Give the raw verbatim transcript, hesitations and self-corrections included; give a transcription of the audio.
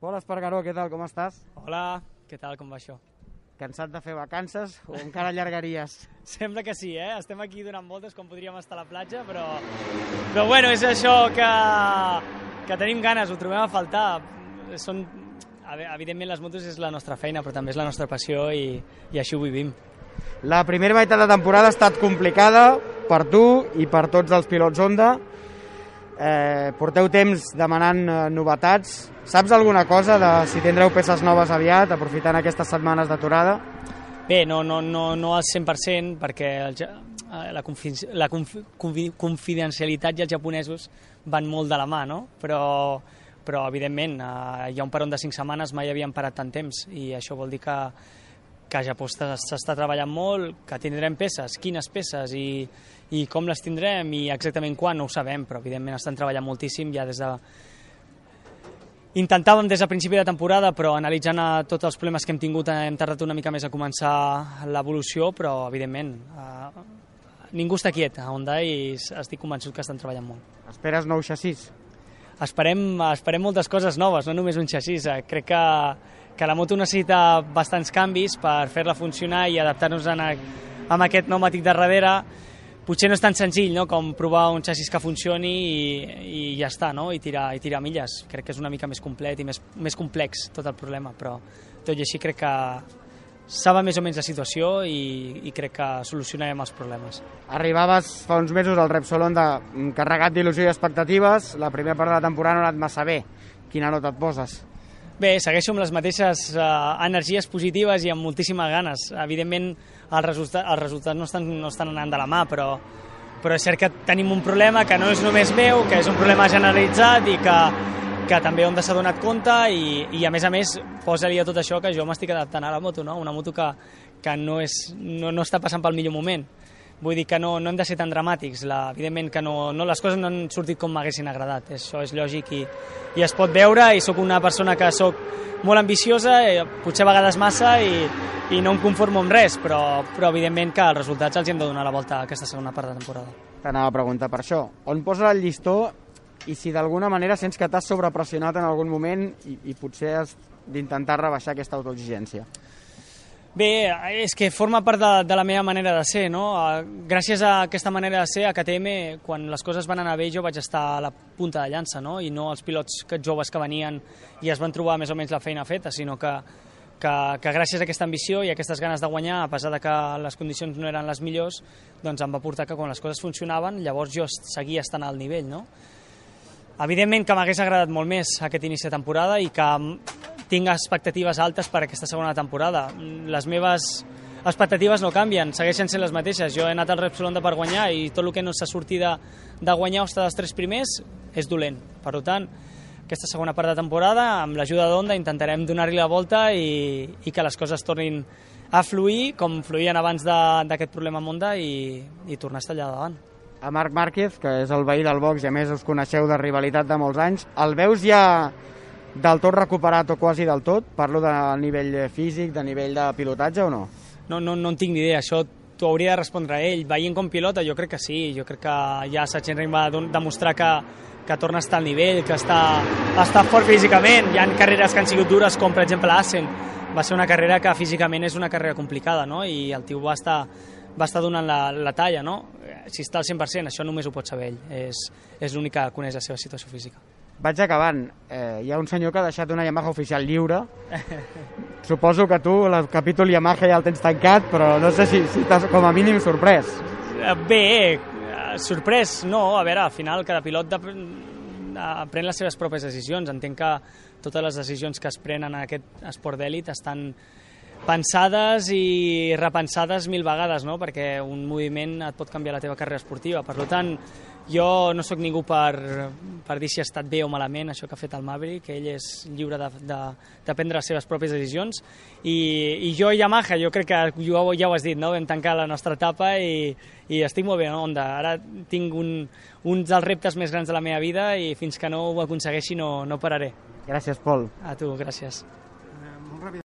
Pol Espargaró, què tal, com estàs? Hola, què tal, com va això? Cansat de fer vacances o encara allargaries? Sembla que sí, eh? Estem aquí donant voltes com podríem estar a la platja, però... Però bueno, és això que, que tenim ganes, ho trobem a faltar. Són... Evidentment les motos és la nostra feina, però també és la nostra passió i, i així ho vivim. La primera meitat de temporada ha estat complicada per tu i per tots els pilots Honda. Eh, porteu temps demanant eh, novetats. Saps alguna cosa de si tindreu peces noves aviat, aprofitant aquestes setmanes d'aturada? Bé, no, no, no, no al cent per cent, perquè el, la, confi, la confi, confidencialitat i els japonesos van molt de la mà, no? Però, però evidentment, eh, hi ha un peron de cinc setmanes, mai havíem parat tant temps, i això vol dir que, que a Japó s'està treballant molt, que tindrem peces, quines peces i, i com les tindrem i exactament quan, no ho sabem, però evidentment estan treballant moltíssim ja des de... Intentàvem des de principi de temporada, però analitzant tots els problemes que hem tingut hem tardat una mica més a començar l'evolució, però evidentment eh, ningú està quiet a Honda i estic convençut que estan treballant molt. Esperes nou xassís? Esperem, esperem moltes coses noves, no només un xassís. Crec que, que la moto necessita bastants canvis per fer-la funcionar i adaptar-nos a, a aquest pneumàtic de darrere. Potser no és tan senzill, no?, com provar un xassís que funcioni i, i ja està, no?, i tirar, i tirar milles. Crec que és una mica més complet i més, més complex tot el problema, però tot i així crec que sabe més o menys la situació i, i crec que solucionarem els problemes. Arribaves fa uns mesos al Repsol Honda carregat d'il·lusió i expectatives. La primera part de la temporada no ha anat massa bé. Quina nota et poses? Bé, segueixo amb les mateixes eh, energies positives i amb moltíssimes ganes. Evidentment, els resultats, els resultats no, estan, no estan anant de la mà, però, però és cert que tenim un problema que no és només meu, que és un problema generalitzat i que, que també Honda s'ha donat compte i, i a més a més posa-li a tot això que jo m'estic adaptant a la moto, no? Una moto que, que no, és, no, no està passant pel millor moment. Vull dir que no, no hem de ser tan dramàtics. La, evidentment que no, no, les coses no han sortit com m'haguessin agradat. Això és lògic i, i es pot veure, i sóc una persona que sóc molt ambiciosa, eh, potser a vegades massa, i, i no em conformo amb res, però, però evidentment que els resultats els hem de donar la volta a aquesta segona part de temporada. T'anava a preguntar per això. On posa el llistó i si d'alguna manera sents que t'has sobrepressionat en algun moment i, i potser has d'intentar rebaixar aquesta autoexigència? Bé, és que forma part de, de la meva manera de ser, no? Gràcies a aquesta manera de ser, a K T M, quan les coses van anar bé, jo vaig estar a la punta de llança, no? I no els pilots joves que venien i es van trobar més o menys la feina feta, sinó que, que, que gràcies a aquesta ambició i a aquestes ganes de guanyar, a pesar de que les condicions no eren les millors, doncs em va portar que quan les coses funcionaven, llavors jo seguia estant al nivell, no? Evidentment que m'hagués agradat molt més aquest inici de temporada i que tinc expectatives altes per aquesta segona temporada. Les meves expectatives no canvien, segueixen sent les mateixes. Jo he anat al Repsol Honda per guanyar i tot el que no s'ha sortit de, de guanyar o estar dels tres primers és dolent. Per tant, aquesta segona part de temporada, amb l'ajuda d'Honda, intentarem donar-li la volta i, i que les coses tornin a fluir com fluïen abans d'aquest problema amb Honda i, i tornar a estar allà davant. A Marc Márquez, que és el veí del box i a més us coneixeu de rivalitat de molts anys, el veus ja del tot recuperat o quasi del tot? Parlo de nivell físic, de nivell de pilotatge o no? No, no, no en tinc ni idea, això t'ho hauria de respondre a ell. Veient com pilota, jo crec que sí, jo crec que ja Sachsenring va demostrar que, que torna a estar al nivell, que està, està fort físicament. Hi ha carreres que han sigut dures, com per exemple Assen. Va ser una carrera que físicament és una carrera complicada, no? I el tio va estar, va estar donant la, la talla, no? Si està al cent per cent, això només ho pot saber ell. És, és l'únic que coneix la seva situació física. Vaig acabant. Eh, hi ha un senyor que ha deixat una Yamaha oficial lliure. Suposo que tu el capítol Yamaha ja el tens tancat, però no sé si, si estàs com a mínim sorprès. Bé, sorprès no. A veure, al final cada pilot de, pren les seves pròpies decisions. Entenc que totes les decisions que es prenen en aquest esport d'èlit estan pensades i repensades mil vegades, no? Perquè un moviment et pot canviar la teva carrera esportiva. Per tant, jo no sóc ningú per, per dir si ha estat bé o malament això que ha fet el Maverick, que ell és lliure de, de, de prendre les seves pròpies decisions. I, i jo i Yamaha, jo crec que jo, ja ho has dit, no? Vam tancar la nostra etapa i, i estic molt bé en Honda. Ara tinc un, un dels reptes més grans de la meva vida i fins que no ho aconsegueixi no, no pararé. Gràcies, Pol. A tu, gràcies.